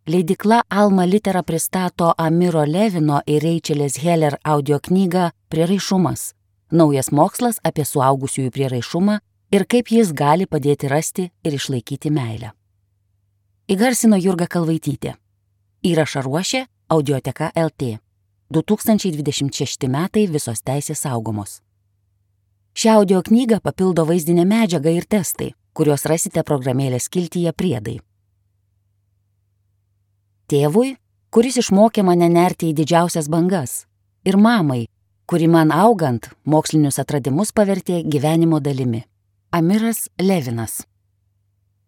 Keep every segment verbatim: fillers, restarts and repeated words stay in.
leidykla Alma Litera pristato Amiro Levino ir Rachelės Heller audioknygą Prieraišumas – naujas mokslas apie suaugusiųjų prieraišumą ir kaip jis gali padėti rasti ir išlaikyti meilę. Įgarsino Jurga Kalvaitytė. Įrašą ruošė Audioteka L T. du tūkstančiai dvidešimt šešti metai visos teisės saugomos. Šią audioknygą papildo vaizdinė medžiaga ir testai, kuriuos rasite programėlės skiltyje Priedai. Tėvui, kuris išmokė mane nerti į didžiausias bangas, ir mamai, kuri man augant mokslinius atradimus pavertė gyvenimo dalimi. Amiras Levinas.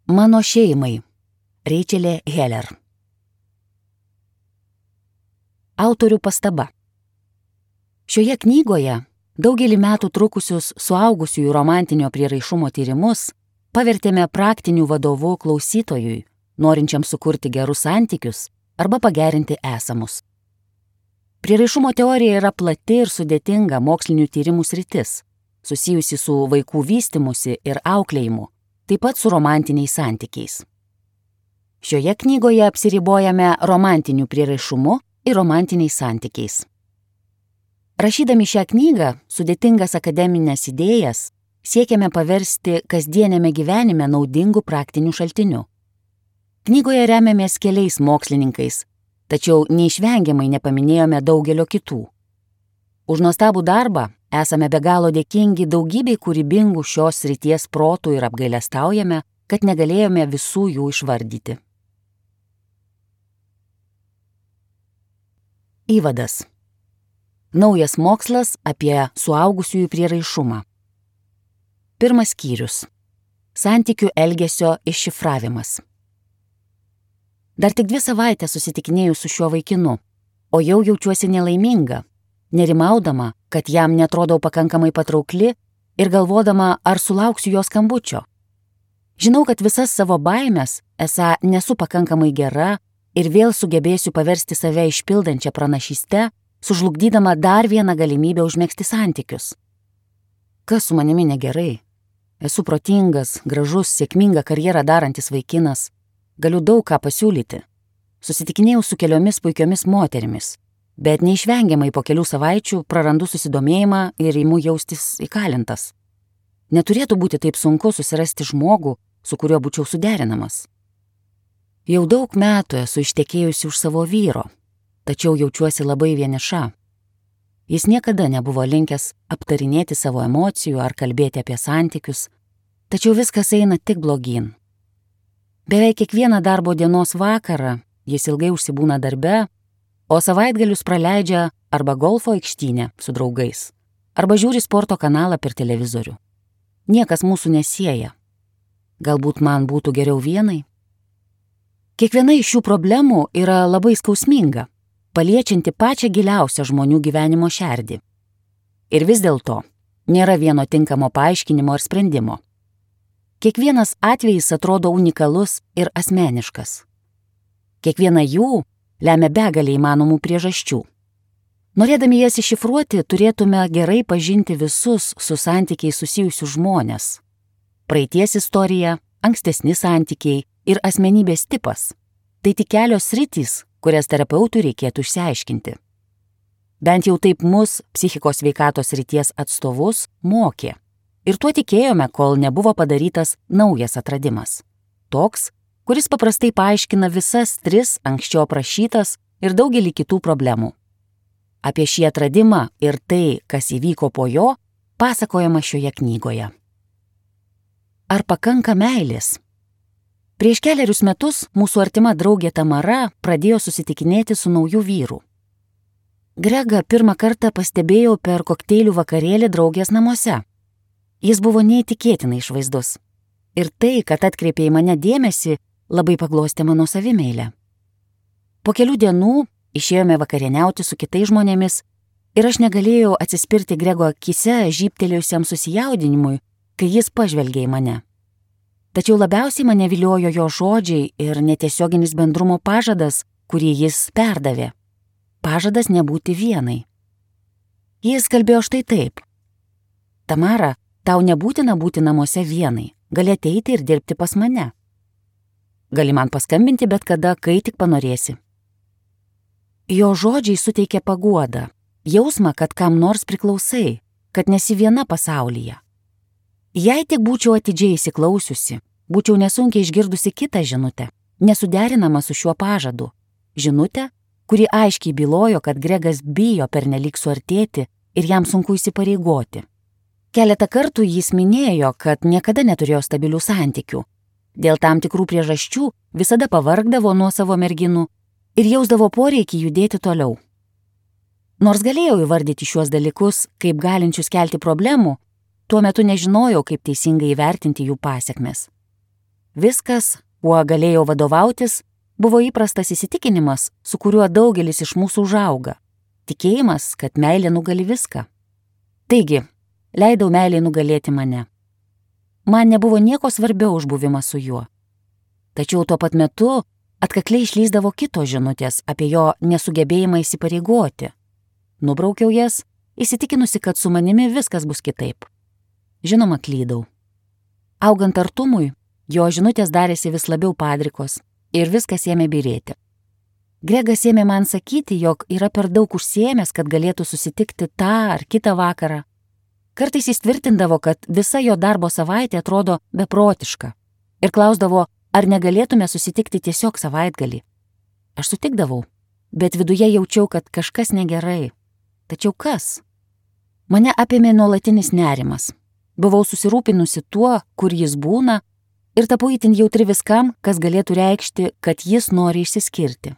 Mano šeimai. Rachelė Heller. Autorių pastaba. Šioje knygoje daugelį metų trukusius suaugusiųjų romantinio prieraišumo tyrimus pavertėme praktinių vadovų klausytojui, norinčiam sukurti gerus santykius arba pagerinti esamus. Prieraišumo teorija yra plati ir sudėtinga mokslinių tyrimų sritis, susijusi su vaikų vystymusi ir auklėjimu, taip pat su romantiniais santykiais. Šioje knygoje apsiribojame romantiniu prieraišumu ir romantiniais santykiais. Rašydami šią knygą, sudėtingas akademinės idėjas siekiame paversti kasdienėme gyvenime naudingų praktinių šaltinių. Knygoje remiamės keliais mokslininkais, tačiau neišvengiamai nepaminėjome daugelio kitų. Už nuostabų darbą esame be galo dėkingi daugybei kūrybingų šios srities protų ir apgailestaujame, kad negalėjome visų jų išvardyti. Įvadas. Naujas mokslas apie suaugusiųjų prieraišumą. Pirmas skyrius. Santykių elgesio iššifravimas. Dar tik dvi savaitės susitikinėjau su šiuo vaikinu, o jau jaučiuosi nelaiminga, nerimaudama, kad jam netrodau pakankamai patraukli ir galvodama, ar sulauksiu jo skambučio. Žinau, kad visas savo baimės esą nesu pakankamai gera ir vėl sugebėsiu paversti save išpildančią pranašystę, sužlugdydama dar vieną galimybę užmegzti santykius. Kas su manimi negerai? Esu protingas, gražus, sėkmingą karjerą darantis vaikinas. Galiu daug ką pasiūlyti. Susitikinėjau su keliomis puikiomis moterimis, bet neišvengiamai po kelių savaičių prarandu susidomėjimą ir imu jaustis įkalintas. Neturėtų būti taip sunku susirasti žmogų, su kuriuo būčiau suderinamas. Jau daug metų esu ištekėjusi už savo vyro, tačiau jaučiuosi labai vieniša. Jis niekada nebuvo linkęs aptarinėti savo emocijų ar kalbėti apie santykius, tačiau viskas eina tik blogyn. Beveik kiekvieną darbo dienos vakarą jis ilgai užsibūna darbe, o savaitgalius praleidžia arba golfo aikštynę su draugais, arba žiūri sporto kanalą per televizorių. Niekas mūsų nesieja. Galbūt man būtų geriau vienai? Kiekviena iš šių problemų yra labai skausminga, paliečianti pačią giliausią žmonių gyvenimo šerdį. Ir vis dėlto nėra vieno tinkamo paaiškinimo ir sprendimo. Kiekvienas atvejis atrodo unikalus ir asmeniškas. Kiekviena jų lemia begalę įmanomų priežasčių. Norėdami jas iššifruoti, turėtume gerai pažinti visus su santykiais susijusius žmonės. Praeities istorija, ankstesni santykiai ir asmenybės tipas – tai tik kelios sritys, kurias terapeutui reikėtų išsiaiškinti. Bent jau taip mus, psichikos sveikatos srities atstovus, mokė. Ir tuo tikėjome, kol nebuvo padarytas naujas atradimas. Toks, kuris paprastai paaiškina visas tris anksčiau aprašytas ir daugelį kitų problemų. Apie šį atradimą ir tai, kas įvyko po jo, pasakojama šioje knygoje. Ar pakanka meilės? Prieš kelerius metus mūsų artima draugė Tamara pradėjo susitikinėti su nauju vyru. Gregą pirmą kartą pastebėjau per kokteilių vakarėlį draugės namuose. Jis buvo neįtikėtinai išvaizdus. Ir tai, kad atkreipė į mane dėmesį, labai paglostė mano savimeilę. Po kelių dienų išėjome vakarieniauti su kitais žmonėmis ir aš negalėjau atsispirti Grego akise žybtelėjusiam susijaudinimui, kai jis pažvelgė į mane. Tačiau labiausiai mane viliojo jo žodžiai ir netiesioginis bendrumo pažadas, kurį jis perdavė. Pažadas nebūti vienai. Jis kalbėjo štai taip. Tamara, tau nebūtina būti namuose vienai, gali ateiti ir dirbti pas mane. Gali man paskambinti bet kada, kai tik panorėsi. Jo žodžiai suteikė paguodą, jausmą, kad kam nors priklausai, kad nesi viena pasaulyje. Jei tik būčiau atidžiai įsiklausiusi, būčiau nesunkiai išgirdusi kitą žinutę, nesuderinamą su šiuo pažadu. Žinutę, kuri aiškiai bylojo, kad Gregas bijo pernelyg suartėti ir jam sunku įsipareigoti. Keletą kartų jis minėjo, kad niekada neturėjo stabilių santykių. Dėl tam tikrų priežasčių visada pavargdavo nuo savo merginų ir jausdavo poreikį judėti toliau. Nors galėjau įvardyti šiuos dalykus kaip galinčius kelti problemų, tuo metu nežinojau, kaip teisingai įvertinti jų pasekmes. Viskas, kuo galėjau vadovautis, buvo įprastas įsitikinimas, su kuriuo daugelis iš mūsų užauga. Tikėjimas, kad meilė nugali viską. Taigi, leidau meilei nugalėti mane. Man nebuvo nieko svarbiau už buvimą su juo. Tačiau tuo pat metu atkakliai išlįsdavo kitos žinutės apie jo nesugebėjimą įsipareigoti. Nubraukiau jas, įsitikinusi, kad su manimi viskas bus kitaip. Žinoma, klydau. Augant artumui, jo žinutės darėsi vis labiau padrikos ir viskas ėmė byrėti. Gregas ėmė man sakyti, jog yra per daug užsiėmęs, kad galėtų susitikti tą ar kitą vakarą. Kartais jis tvirtindavo, kad visa jo darbo savaitė atrodo beprotiška ir klausdavo, ar negalėtume susitikti tiesiog savaitgalį. Aš sutikdavau, bet viduje jaučiau, kad kažkas negerai. Tačiau kas? Mane apėmė nuolatinis nerimas. Buvau susirūpinusi tuo, kur jis būna, ir tapau itin jautri viskam, kas galėtų reikšti, kad jis nori išsiskirti.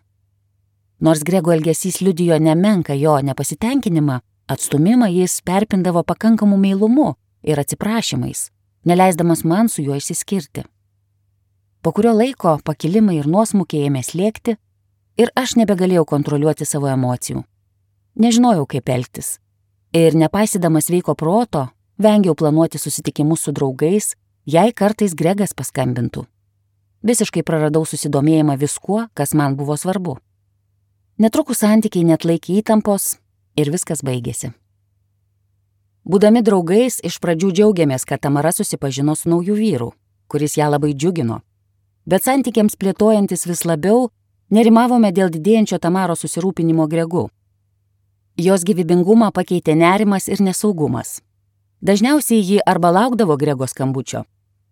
Nors Grego elgesys liudijo nemenką jo nepasitenkinimą, atstumimą jis perpindavo pakankamu meilumu ir atsiprašymais, neleisdamas man su juo išsiskirti. Po kurio laiko pakilimai ir nuosmukiai ėmė slėgti ir aš nebegalėjau kontroliuoti savo emocijų. Nežinojau, kaip elgtis. Ir nepaisydamas sveiko proto, vengiau planuoti susitikimus su draugais, jei kartais Gregas paskambintų. Visiškai praradau susidomėjimą viskuo, kas man buvo svarbu. Netrukus santykiai neatlaikė įtampos ir viskas baigėsi. Būdami draugais, iš pradžių džiaugiamės, kad Tamara susipažino su nauju vyru, kuris ją labai džiugino. Bet santykiams plėtojantis vis labiau, nerimavome dėl didėjančio Tamaros susirūpinimo Gregu. Jos gyvybingumą pakeitė nerimas ir nesaugumas. Dažniausiai ji arba laukdavo Grego skambučio,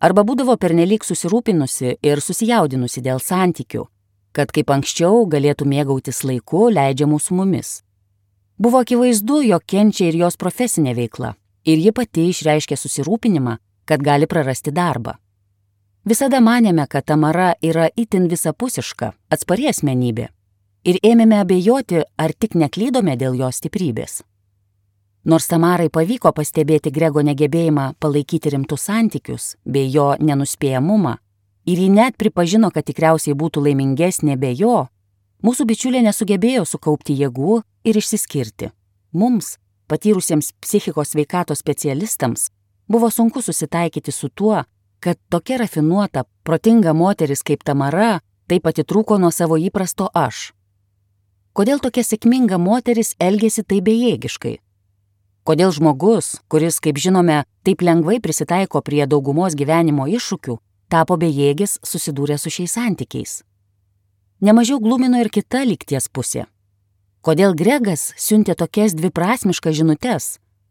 arba būdavo pernelyg susirūpinusi ir susijaudinusi dėl santykių, kad kaip anksčiau galėtų mėgautis laiku leidžiamų su mumis. Buvo akivaizdu, jog kenčia ir jos profesinė veikla, ir ji pati išreiškė susirūpinimą, kad gali prarasti darbą. Visada manėme, kad Tamara yra itin visapusiška, atspari asmenybė, ir ėmėme abejoti, ar tik neklydome dėl jos stiprybės. Nors Tamarai pavyko pastebėti Grego negebėjimą palaikyti rimtus santykius bei jo nenuspėjamumą, ir ji net pripažino, kad tikriausiai būtų laimingesnė be jo, mūsų bičiulė nesugebėjo sukaupti jėgų ir išsiskirti. Mums, patyrusiems psichikos sveikatos specialistams, buvo sunku susitaikyti su tuo, kad tokia rafinuota, protinga moteris kaip Tamara taip atitrūko nuo savo įprasto aš. Kodėl tokia sėkminga moteris elgėsi taip bejėgiškai? Kodėl žmogus, kuris, kaip žinome, taip lengvai prisitaiko prie daugumos gyvenimo iššūkių, tapo bejėgis susidūrė su šiais santykiais? Nemažiau glumino ir kita lygties pusė. Kodėl Gregas siuntė tokias dviprasmiškas žinutes,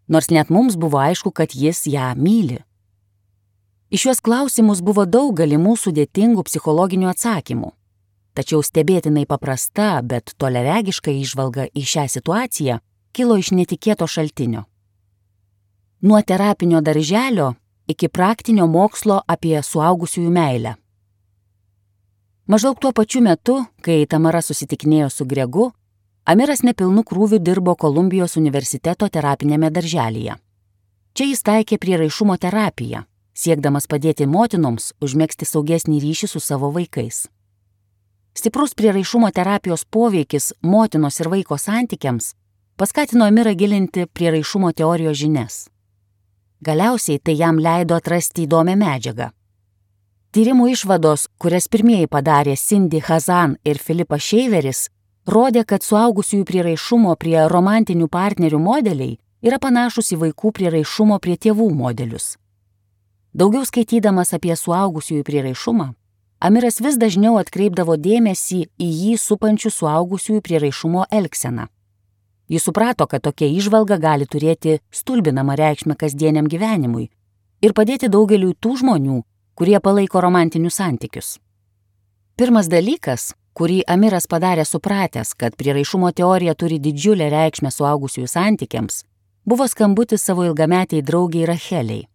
nors net mums buvo aišku, kad jis ją myli? Iš šiuos klausimus buvo daug galimų sudėtingų psichologinių atsakymų. Tačiau stebėtinai paprasta, bet toliaregiška įžvalga į šią situaciją kilo iš netikėto šaltinio. Nuo terapinio darželio iki praktinio mokslo apie suaugusiųjų meilę. Maždaug tuo pačiu metu, kai Tamara susitikinėjo su Gregu, Amiras nepilnu krūviu dirbo Kolumbijos universiteto terapinėme darželyje. Čia jis taikė prieraišumo terapiją, siekdamas padėti motinoms užmegzti saugesnį ryšį su savo vaikais. Stiprus prieraišumo terapijos poveikis motinos ir vaiko santykiams paskatino Amirą gilinti prieraišumo teorijos žinias. Galiausiai tai jam leido atrasti įdomią medžiagą. Tyrimų išvados, kurias pirmieji padarė Cindy Hazan ir Filipas Šeiveris, rodė, kad suaugusiųjų prieraišumo prie romantinių partnerių modeliai yra panašus į vaikų prieraišumo prie tėvų modelius. Daugiau skaitydamas apie suaugusiųjų prieraišumą, Amiras vis dažniau atkreipdavo dėmesį į jį supančių suaugusiųjų prieraišumo elgseną. Jis suprato, kad tokia įžvalga gali turėti stulbinamą reikšmę kasdieniam gyvenimui ir padėti daugeliui tų žmonių, kurie palaiko romantinius santykius. Pirmas dalykas, kurį Amiras padarė supratęs, kad prieraišumo teorija turi didžiulę reikšmę suaugusiųjų santykiams, buvo skambutis savo ilgametiai draugiai Racheliai.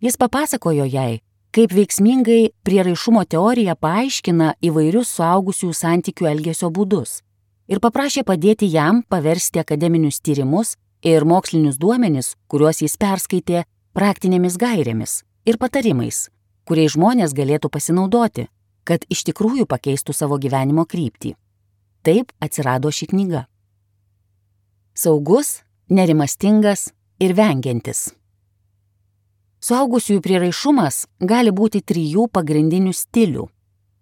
Jis papasakojo jai, kaip veiksmingai prieraišumo teorija paaiškina įvairius suaugusiųjų santykių elgesio būdus ir paprašė padėti jam paversti akademinius tyrimus ir mokslinius duomenis, kuriuos jis perskaitė, praktinėmis gairėmis ir patarimais, kuriais žmonės galėtų pasinaudoti, kad iš tikrųjų pakeistų savo gyvenimo kryptį. Taip atsirado ši knyga. Saugus, nerimastingas ir vengiantis. Suaugusiųjų prieraišumas gali būti trijų pagrindinių stilių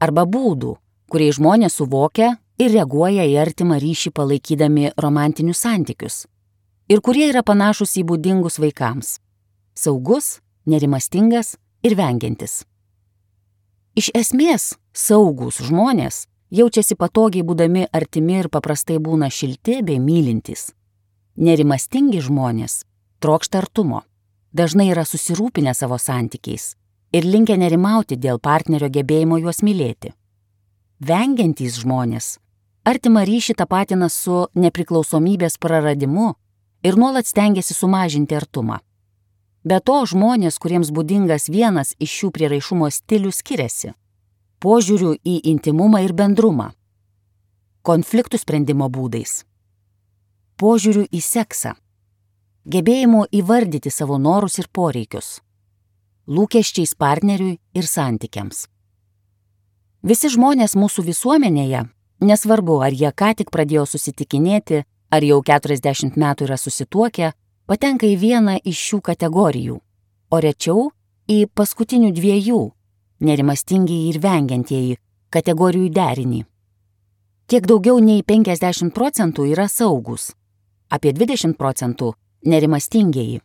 arba būdų, kuriais žmonės suvokia ir reaguoja į artimą ryšį palaikydami romantinius santykius ir kurie yra panašus į būdingus vaikams. Saugus, nerimastingas ir vengiantis. Iš esmės, saugūs žmonės jaučiasi patogiai būdami artimi ir paprastai būna šilti bei mylintys. Nerimastingi žmonės trokšta artumo, dažnai yra susirūpinę savo santykiais ir linkę nerimauti dėl partnerio gebėjimo juos mylėti. Vengiantys žmonės artimą ryšį tapatina su nepriklausomybės praradimu ir nuolat stengiasi sumažinti artumą. Be to, žmonės, kuriems būdingas vienas iš šių prieraišumo stilių, skiriasi požiūriu į intimumą ir bendrumą, konfliktų sprendimo būdais, požiūriu į seksą, gebėjimu įvardyti savo norus ir poreikius, lūkesčiais partneriui ir santykiams. Visi žmonės mūsų visuomenėje, nesvarbu, ar jie ką tik pradėjo susitikinėti, ar jau keturiasdešimt metų yra susituokę, patenka į vieną iš šių kategorijų, o rečiau į paskutinių dviejų, nerimastingieji ir vengiantieji, kategorijų derinį. Kiek daugiau nei penkiasdešimt procentų yra saugūs, apie dvidešimt procentų nerimastingieji,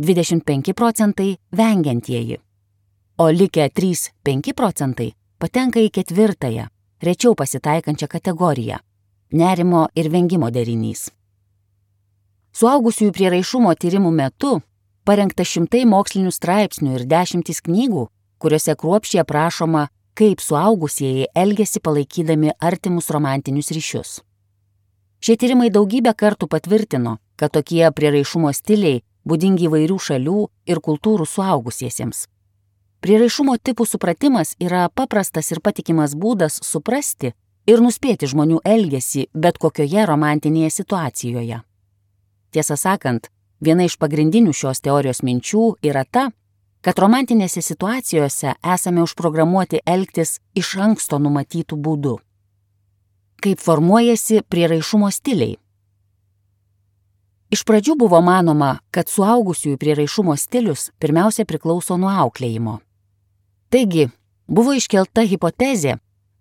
dvidešimt penki procentai vengiantieji, o likę trys penki procentai patenka į ketvirtąją, rečiau pasitaikančią kategoriją – nerimo ir vengimo derinys. Suaugusiųjų prieraišumo tyrimų metu parengta šimtai mokslinių straipsnių ir dešimtys knygų, kuriuose kruopščiai aprašoma, kaip suaugusieji elgiasi palaikydami artimus romantinius ryšius. Šie tyrimai daugybę kartų patvirtino, kad tokie prieraišumo stiliai būdingi įvairių šalių ir kultūrų suaugusiesiems. Prieraišumo tipų supratimas yra paprastas ir patikimas būdas suprasti ir nuspėti žmonių elgesį bet kokioje romantinėje situacijoje. Tiesą sakant, viena iš pagrindinių šios teorijos minčių yra ta, kad romantinėse situacijose esame užprogramuoti elgtis iš anksto numatytų būdų. Kaip formuojasi prieraišumo stiliai? Iš pradžių buvo manoma, kad suaugusiųjų prieraišumo stilius pirmiausia priklauso nuo auklėjimo. Taigi, buvo iškelta hipotezė,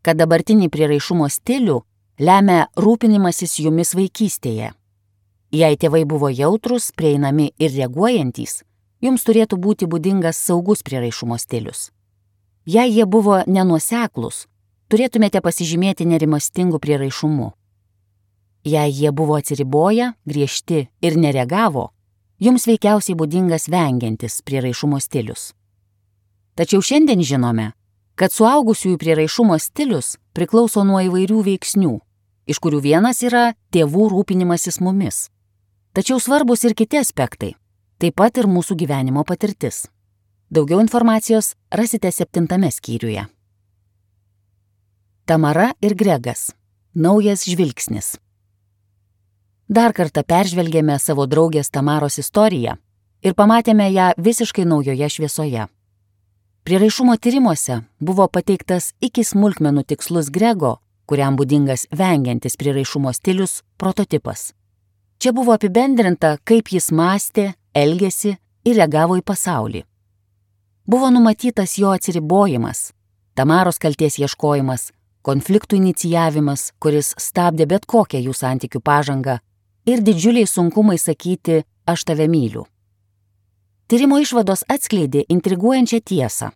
kad dabartinį prieraišumo stilių lemia rūpinimasis jumis vaikystėje. Jei tėvai buvo jautrus, prieinami ir reaguojantys, jums turėtų būti būdingas saugus prieraišumo stilius. Jei jie buvo nenuoseklūs, turėtumėte pasižymėti nerimastingu prieraišumu. Jei jie buvo atsiriboję, griežti ir nereagavo, jums veikiausiai būdingas vengiantis prieraišumo stilius. Tačiau šiandien žinome, kad suaugusiųjų prieraišumo stilius priklauso nuo įvairių veiksnių, iš kurių vienas yra tėvų rūpinimasis mumis. Tačiau svarbus ir kiti aspektai, taip pat ir mūsų gyvenimo patirtis. Daugiau informacijos rasite septintame skyriuje. Tamara ir Gregas. Naujas žvilgsnis. Dar kartą peržvelgėme savo draugės Tamaros istoriją ir pamatėme ją visiškai naujoje šviesoje. Prieraišumo tyrimuose buvo pateiktas iki smulkmenų tikslus Grego, kuriam būdingas vengiantis prieraišumo stilius, prototipas. Čia buvo apibendrinta, kaip jis mąstė, elgėsi ir reagavo į pasaulį. Buvo numatytas jo atsiribojimas, Tamaros kaltės ieškojimas, konfliktų inicijavimas, kuris stabdė bet kokią jų santykių pažangą, ir didžiuliai sunkumai sakyti «aš tave myliu». Tyrimo išvados atskleidė intriguojančią tiesą.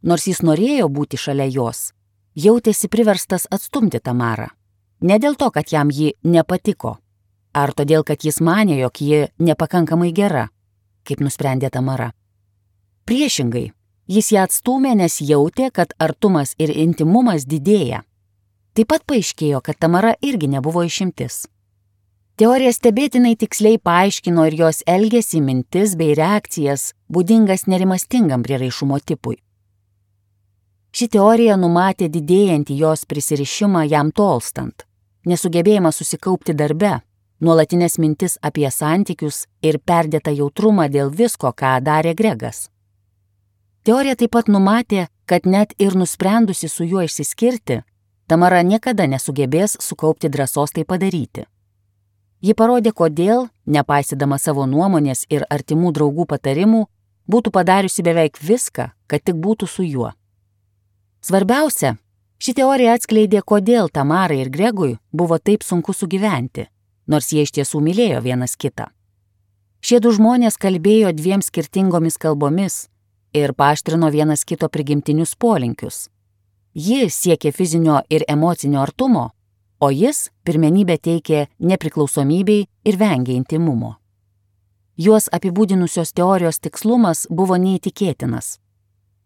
nors jis norėjo būti šalia jos, jautėsi priverstas atstumti Tamarą. Ne dėl to, kad jam ji nepatiko, ar todėl, kad jis manė, jog ji nepakankamai gera, kaip nusprendė Tamara. Priešingai, jis ją atstūmė, nes jautė, kad artumas ir intimumas didėja. Taip pat paaiškėjo, kad Tamara irgi nebuvo išimtis. Teorija stebėtinai tiksliai paaiškino ir jos elgesį, mintis bei reakcijas, būdingas nerimastingam prieraišumo tipui. Ši teorija numatė didėjantį jos prisirišimą jam tolstant, nesugebėjimą susikaupti darbe, nuolatinės mintis apie santykius ir perdėtą jautrumą dėl visko, ką darė Gregas. Teorija taip pat numatė, kad net ir nusprendusi su juo išsiskirti, Tamara niekada nesugebės sukaupti drąsos tai padaryti. Ji parodė, kodėl, nepaisydama savo nuomonės ir artimų draugų patarimų, būtų padariusi beveik viską, kad tik būtų su juo. Svarbiausia, ši teorija atskleidė, kodėl Tamarai ir Gregui buvo taip sunku sugyventi, nors jie iš tiesų mylėjo vienas kitą. Šie du žmonės kalbėjo dviem skirtingomis kalbomis ir paaštrino vienas kito prigimtinius polinkius. Ji siekė fizinio ir emocinio artumo, o jis pirmenybę teikė nepriklausomybei ir vengė intimumo. Juos apibūdinusios teorijos tikslumas buvo neįtikėtinas.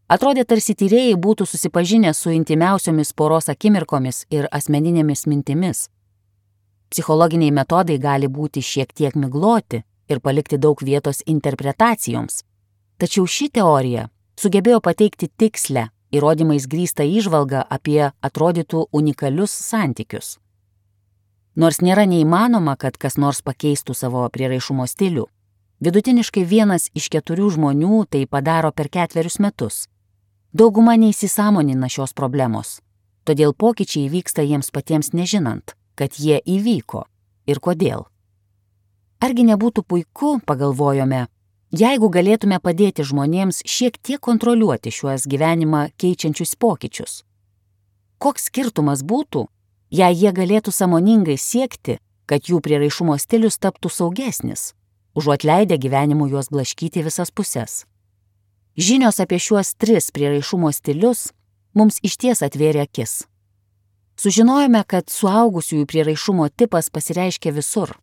Atrodė, tarsi tyrėjai būtų susipažinę su intimiausiomis poros akimirkomis ir asmeninėmis mintimis. Psichologiniai metodai gali būti šiek tiek migloti ir palikti daug vietos interpretacijoms. Tačiau ši teorija sugebėjo pateikti tikslę, įrodymais grįstą įžvalgą apie atrodytų unikalius santykius. Nors nėra neįmanoma, kad kas nors pakeistų savo prieraišumo stilių, vidutiniškai vienas iš keturių žmonių tai padaro per ketverius metus. Dauguma neįsisąmonina šios problemos, todėl pokyčiai vyksta jiems patiems nežinant, kad jie įvyko ir kodėl. Argi nebūtų puiku, pagalvojome, jeigu galėtume padėti žmonėms šiek tiek kontroliuoti šiuos gyvenimą keičiančius pokyčius? Koks skirtumas būtų, jei jie galėtų sąmoningai siekti, kad jų prieraišumo stilius taptų saugesnis, užuot leidę gyvenimu juos blaškyti visas puses? Žinios apie šiuos tris prieraišumo stilius mums išties atvėrė akis. Sužinojome, kad suaugusiųjų prieraišumo tipas pasireiškia visur.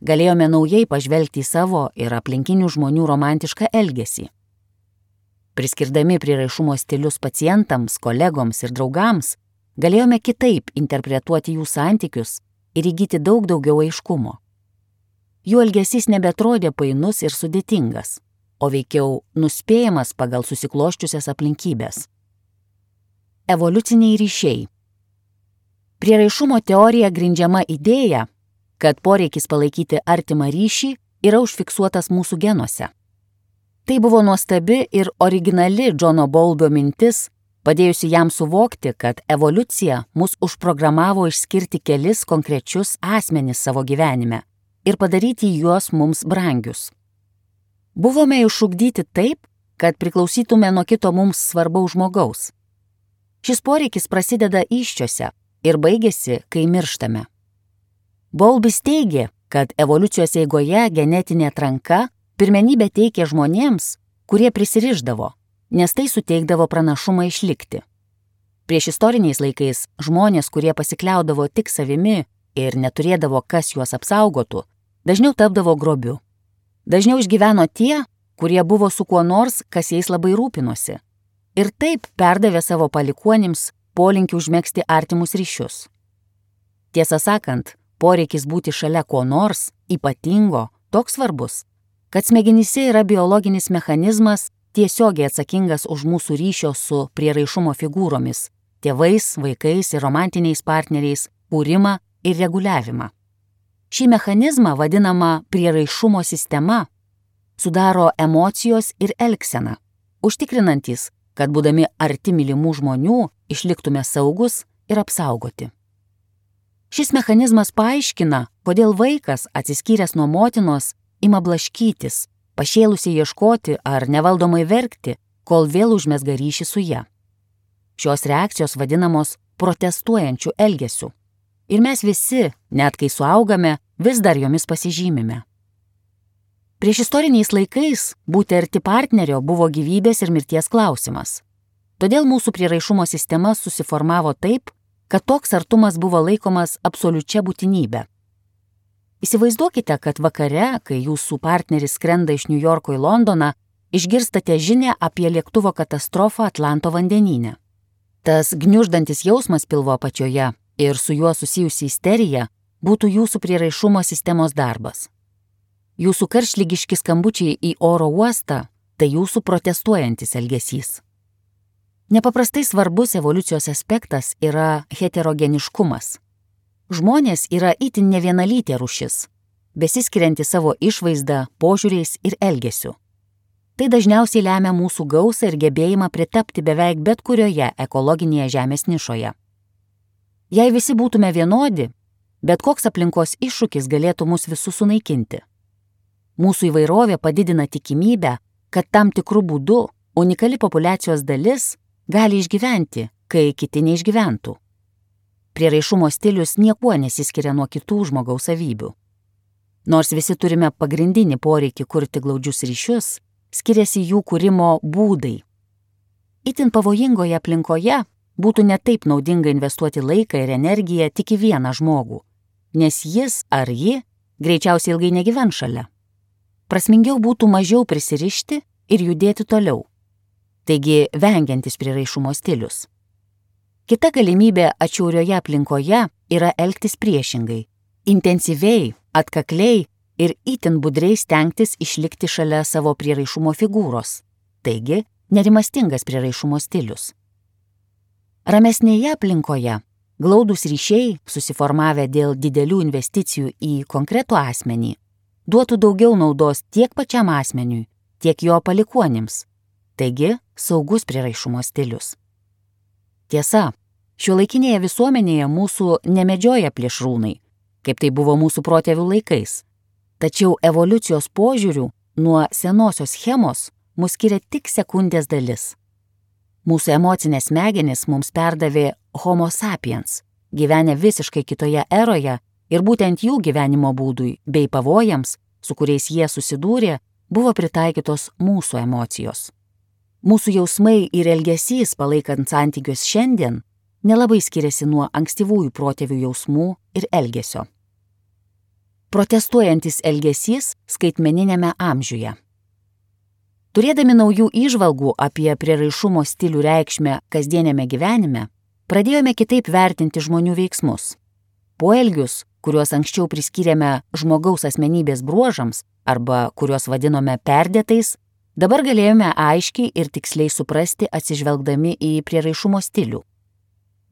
Galėjome naujai pažvelgti į savo ir aplinkinių žmonių romantišką elgesį. Priskirdami prieraišumo stilius pacientams, kolegoms ir draugams, galėjome kitaip interpretuoti jų santykius ir įgyti daug daugiau aiškumo. Jų elgesys nebetrodė painus ir sudėtingas, o veikiau nuspėjamas pagal susikloščiusias aplinkybės. Evoliuciniai ryšiai. Prieraišumo teorija grindžiama idėja, kad poreikis palaikyti artimą ryšį yra užfiksuotas mūsų genuose. Tai buvo nuostabi ir originali Džono Bowlbio mintis, padėjusi jam suvokti, kad evoliucija mus užprogramavo išskirti kelis konkrečius asmenis savo gyvenime ir padaryti juos mums brangius. Buvome išugdyti taip, kad priklausytume nuo kito mums svarbaus žmogaus. Šis poreikis prasideda įsčiose ir baigėsi, kai mirštame. Bowlbis teigė, kad evoliucijos eigoje genetinė atranka pirmenybę teikė žmonėms, kurie prisirišdavo, nes tai suteikdavo pranašumą išlikti. Prieš istoriniais laikais žmonės, kurie pasikliaudavo tik savimi ir neturėdavo, kas juos apsaugotų, dažniau tapdavo grobiu. Dažniau išgyveno tie, kurie buvo su kuo nors, kas jais labai rūpinosi, ir taip perdavė savo palikuonims polinkį užmegzti artimus ryšius. Tiesą sakant, poreikis būti šalia ko nors ypatingo toks svarbus, kad smegenyse yra biologinis mechanizmas tiesiogiai atsakingas už mūsų ryšio su prieraišumo figūromis, tėvais, vaikais ir romantiniais partneriais kūrimą ir reguliavimą. Šį mechanizmą, vadinamą prieraišumo sistema, sudaro emocijos ir elgsena, užtikrinantys, kad būdami arti mylimų žmonių išliktume saugus ir apsaugoti. Šis mechanizmas paaiškina, kodėl vaikas, atsiskyręs nuo motinos, ima blaškytis, pašėlusiai ieškoti ar nevaldomai verkti, kol vėl užmezga ryšį su ja. Šios reakcijos vadinamos protestuojančių elgesių. Ir mes visi, net kai suaugame, vis dar jomis pasižymime. Prieš istoriniais laikais būti arti partnerio buvo gyvybės ir mirties klausimas. Todėl mūsų prieraišumo sistema susiformavo taip, kad toks artumas buvo laikomas absoliučia būtinybė. Įsivaizduokite, kad vakare, kai jūsų partneris skrenda iš New Yorko į Londoną, išgirstate žinią apie lėktuvo katastrofą Atlanto vandenyne. Tas gniuždantis jausmas pilvo apačioje ir su juo susijusi isterija būtų jūsų prieraišumo sistemos darbas. Jūsų karštligiški skambučiai į oro uostą – tai jūsų protestuojantis elgesys. Nepaprastai svarbus evoliucijos aspektas yra heterogeniškumas. Žmonės yra itin nevienalytė rūšis, besiskirianti savo išvaizdą, požiūriais ir elgesiu. Tai dažniausiai lemia mūsų gausą ir gebėjimą pritapti beveik bet kurioje ekologinėje žemės nišoje. Jei visi būtume vienodi, bet koks aplinkos iššūkis galėtų mus visus sunaikinti. Mūsų įvairovė padidina tikimybę, kad tam tikrų būdų unikali populiacijos dalis gali išgyventi, kai kiti neišgyventų. Prieraišumo stilius niekuo nesiskiria nuo kitų žmogaus savybių. Nors visi turime pagrindinį poreikį kurti glaudžius ryšius, skiriasi jų kūrimo būdai. Itin pavojingoje aplinkoje būtų netaip naudinga investuoti laiką ir energiją tik į vieną žmogų, nes jis ar ji greičiausiai ilgai negyvens šalia. Prasmingiau būtų mažiau prisirišti ir judėti toliau. Taigi vengiantis prieraišumo stilius. Kita galimybė atšiaurioje aplinkoje yra elgtis priešingai, intensyviai, atkakliai ir itin budriai stengtis išlikti šalia savo prieraišumo figūros, taigi nerimastingas prieraišumo stilius. Ramesnėje aplinkoje glaudūs ryšiai, susiformavę dėl didelių investicijų į konkretų asmenį, duotų daugiau naudos tiek pačiam asmeniui, tiek jo palikuonims, taigi saugus prieraišumo stilius. Tiesa, šiuolaikinėje visuomenėje mūsų nemedžioja plėšrūnai, kaip tai buvo mūsų protėvių laikais. Tačiau evoliucijos požiūrių nuo senosios schemos mus skiria tik sekundės dalis. Mūsų emocinės smegenys mums perdavė Homo sapiens, gyvenę visiškai kitoje eroje ir būtent jų gyvenimo būdui bei pavojams, su kuriais jie susidūrė, buvo pritaikytos mūsų emocijos. Mūsų jausmai ir elgesys palaikant santykius šiandien nelabai skiriasi nuo ankstyvųjų protėvių jausmų ir elgesio. Protestuojantis elgesys skaitmeniniame amžiuje. Turėdami naujų įžvalgų apie prieraišumo stilių reikšmę kasdienėme gyvenime, pradėjome kitaip vertinti žmonių veiksmus. Poelgius, kuriuos anksčiau priskyrėme žmogaus asmenybės bruožams arba kuriuos vadinome perdėtais, dabar galėjome aiškiai ir tiksliai suprasti atsižvelgdami į prieraišumo stilių.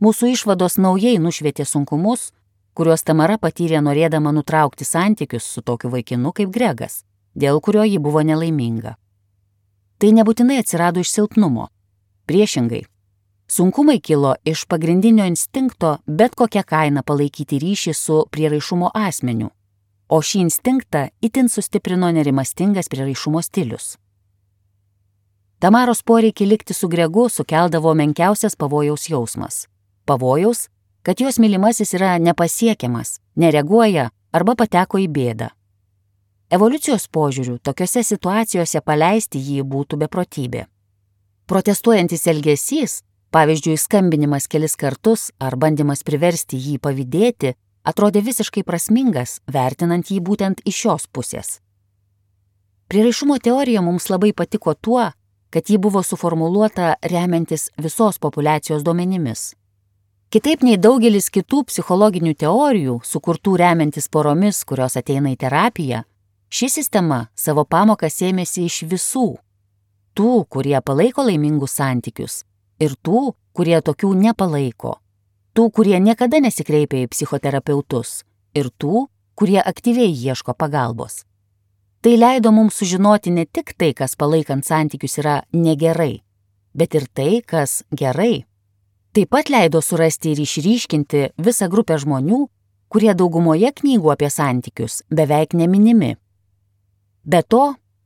Mūsų išvados naujai nušvietė sunkumus, kuriuos Tamara patyrė norėdama nutraukti santykius su tokiu vaikinu kaip Gregas, dėl kurio ji buvo nelaiminga. Tai nebūtinai atsirado iš silpnumo. Priešingai, sunkumai kilo iš pagrindinio instinkto bet kokią kainą palaikyti ryšį su prieraišumo asmeniu, o šį instinktą itin sustiprino nerimastingas prieraišumo stilius. Tamaros poreikį likti su Gregu sukeldavo menkiausias pavojaus jausmas. Pavojaus, kad jos mylimasis yra nepasiekiamas, nereaguoja arba pateko į bėdą. Evoliucijos požiūrių tokiose situacijose paleisti jį būtų beprotybė. Protestuojantis elgesys, pavyzdžiui, skambinimas kelis kartus ar bandymas priversti jį pavydėti, atrodė visiškai prasmingas, vertinant jį būtent iš šios pusės. Prieraišumo teorija mums labai patiko tuo, kad ji buvo suformuluota remiantis visos populiacijos duomenimis. Kitaip nei daugelis kitų psichologinių teorijų, sukurtų remiantis poromis, kurios ateina į terapiją, ši sistema savo pamokas ėmėsi iš visų. Tų, kurie palaiko laimingus santykius, ir tų, kurie tokių nepalaiko. Tų, kurie niekada nesikreipia į psichoterapeutus, ir tų, kurie aktyviai ieško pagalbos. Tai leido mums sužinoti ne tik tai, kas palaikant santykius yra negerai, bet ir tai, kas gerai. Taip pat leido surasti ir išryškinti visą grupę žmonių, kurie daugumoje knygų apie santykius beveik neminimi. Be to,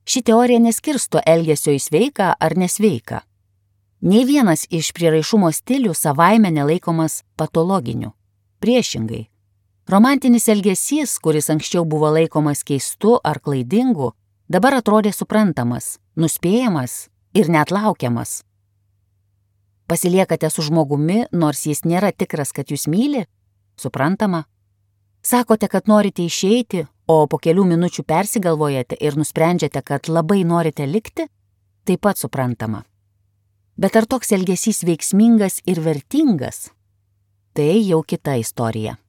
ši teorija neskirsto elgesio į sveiką ar nesveiką. Nei vienas iš prieraišumo stilių savaime nelaikomas patologiniu. Priešingai. Romantinis elgesys, kuris anksčiau buvo laikomas keistu ar klaidingu, dabar atrodė suprantamas, nuspėjamas ir net laukiamas. Pasiliekate su žmogumi, nors jis nėra tikras, kad jūs myli? Suprantama. Sakote, kad norite išeiti, o po kelių minučių persigalvojate ir nusprendžiate, kad labai norite likti? Taip pat suprantama. Bet ar toks elgesys veiksmingas ir vertingas? Tai jau kita istorija.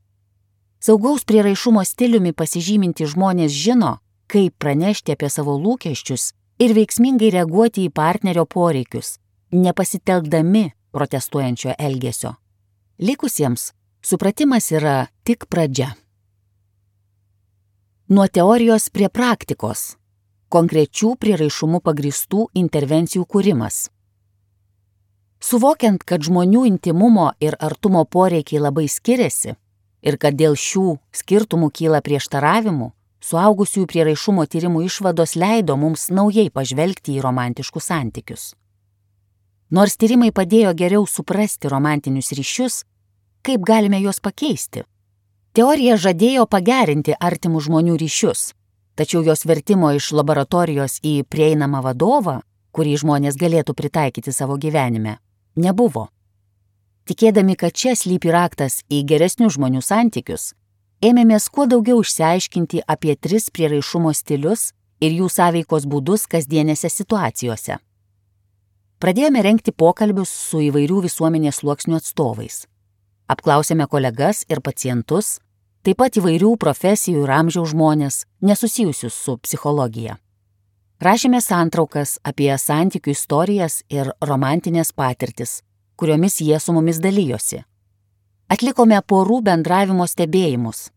Saugaus prieraišumo stiliumi pasižyminti žmonės žino, kaip pranešti apie savo lūkesčius ir veiksmingai reaguoti į partnerio poreikius, nepasitelkdami protestuojančio elgesio. Likusiems supratimas yra tik pradžia. Nuo teorijos prie praktikos. Konkrečių prieraišumų pagrįstų intervencijų kūrimas. Suvokiant, kad žmonių intimumo ir artumo poreikiai labai skiriasi ir kad dėl šių skirtumų kyla prieštaravimų, suaugusiųjų prieraišumo tyrimų išvados leido mums naujai pažvelgti į romantiškus santykius. Nors tyrimai padėjo geriau suprasti romantinius ryšius, kaip galime juos pakeisti? Teorija žadėjo pagerinti artimų žmonių ryšius, tačiau jos vertimo iš laboratorijos į prieinamą vadovą, kurį žmonės galėtų pritaikyti savo gyvenime, nebuvo. Tikėdami, kad čia slypi raktas į geresnių žmonių santykius, ėmėmės kuo daugiau išsiaiškinti apie tris prieraišumo stilius ir jų sąveikos būdus kasdienėse situacijose. Pradėjome rengti pokalbius su įvairių visuomenės sluoksnių atstovais. Apklausėme kolegas ir pacientus, taip pat įvairių profesijų ir amžiaus žmonės, nesusijusius su psichologija. Rašėme santraukas apie santykių istorijas ir romantinės patirtis, kuriomis jie su mumis dalyjosi. Atlikome porų bendravimo stebėjimus.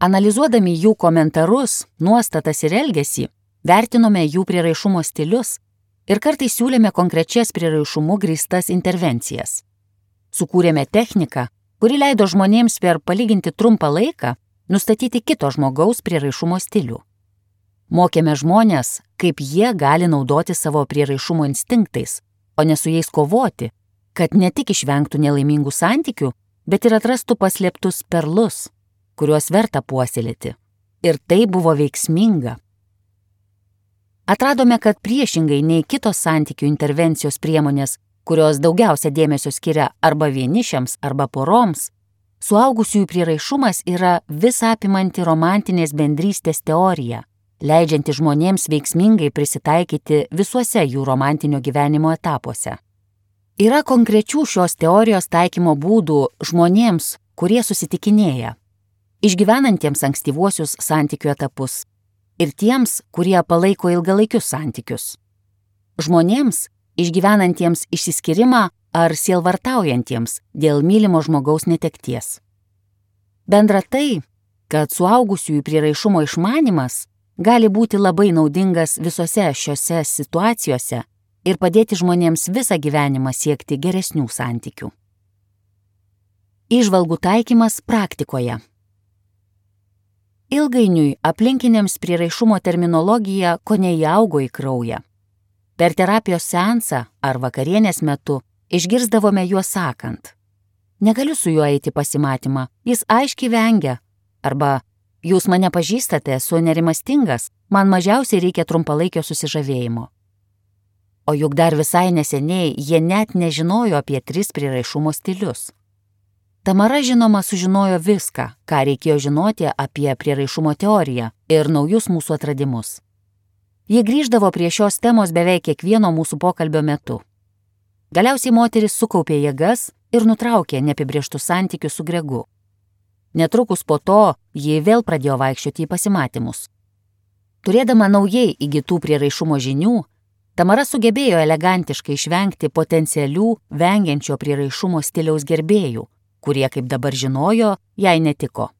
Analizuodami jų komentarus, nuostatas ir elgesį, vertinome jų prieraišumo stilius ir kartais siūlėme konkrečias prieraišumu grįstas intervencijas. Sukūrėme techniką, kuri leido žmonėms per palyginti trumpą laiką nustatyti kito žmogaus prieraišumo stilių. Mokėme žmonės, kaip jie gali naudoti savo prieraišumo instinktais, o ne su jais kovoti, kad ne tik išvengtų nelaimingų santykių, bet ir atrastų paslėptus perlus, kuriuos verta puoselėti. Ir tai buvo veiksminga. Atradome, kad priešingai nei kitos santykių intervencijos priemonės, kurios daugiausia dėmesio skiria arba vienišiams, arba poroms, suaugusiųjų prieraišumas yra visą apimanti romantinės bendrystės teorija, leidžianti žmonėms veiksmingai prisitaikyti visuose jų romantinio gyvenimo etapuose. Yra konkrečių šios teorijos taikymo būdų žmonėms, kurie susitikinėja, išgyvenantiems ankstyvuosius santykių etapus ir tiems, kurie palaiko ilgalaikius santykius. Žmonėms, išgyvenantiems išsiskyrimą ar sielvartaujantiems dėl mylimo žmogaus netekties. Bendra tai, kad suaugusiųjų prieraišumo išmanymas gali būti labai naudingas visose šiose situacijose ir padėti žmonėms visą gyvenimą siekti geresnių santykių. Įžvalgų taikymas praktikoje. Ilgainiui aplinkiniams prieraišumo terminologija kone įaugo į kraują. Per terapijos seansą ar vakarienės metu išgirsdavome juos sakant: negaliu su juo eiti pasimatymą, jis aiškiai vengia, arba jūs mane pažįstate, esu nerimastingas, man mažiausiai reikia trumpalaikio susižavėjimo. O juk dar visai neseniai jie net nežinojo apie tris prieraišumo stilius. Tamara, žinoma, sužinojo viską, ką reikėjo žinoti apie prieraišumo teoriją ir naujus mūsų atradimus. Ji grįždavo prie šios temos beveik kiekvieno mūsų pokalbio metu. Galiausiai moteris sukaupė jėgas ir nutraukė neapibrėžtus santykius su Gregu. Netrukus po to ji vėl pradėjo vaikščioti į pasimatymus. Turėdama naujai įgytų prieraišumo žinių, Tamara sugebėjo elegantiškai išvengti potencialių vengiančio prieraišumo stiliaus gerbėjų, kurie, kaip dabar žinojo, jai netiko.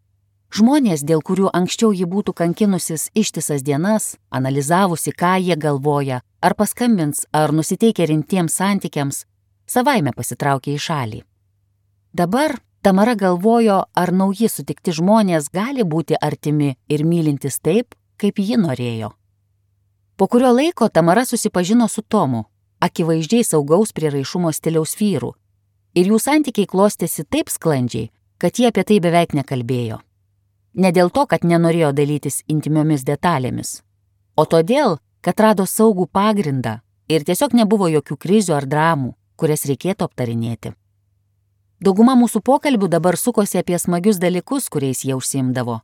Žmonės, dėl kurių anksčiau ji būtų kankinusis ištisas dienas, analizavusi, ką jie galvoja, ar paskambins, ar nusiteikia rimtiems santykiams, savaime pasitraukė į šalį. Dabar Tamara galvojo, ar nauji sutikti žmonės gali būti artimi ir mylintis taip, kaip ji norėjo. Po kurio laiko Tamara susipažino su Tomu, akivaizdžiai saugaus prieraišumo stiliaus vyru, ir jų santykiai klostėsi taip sklandžiai, kad jie apie tai beveik nekalbėjo. Ne dėl to, kad nenorėjo dalytis intimiomis detalėmis, o todėl, kad rado saugų pagrindą ir tiesiog nebuvo jokių krizių ar dramų, kurias reikėtų aptarinėti. Dauguma mūsų pokalbių dabar sukosi apie smagius dalykus, kuriais jie užsiimdavo.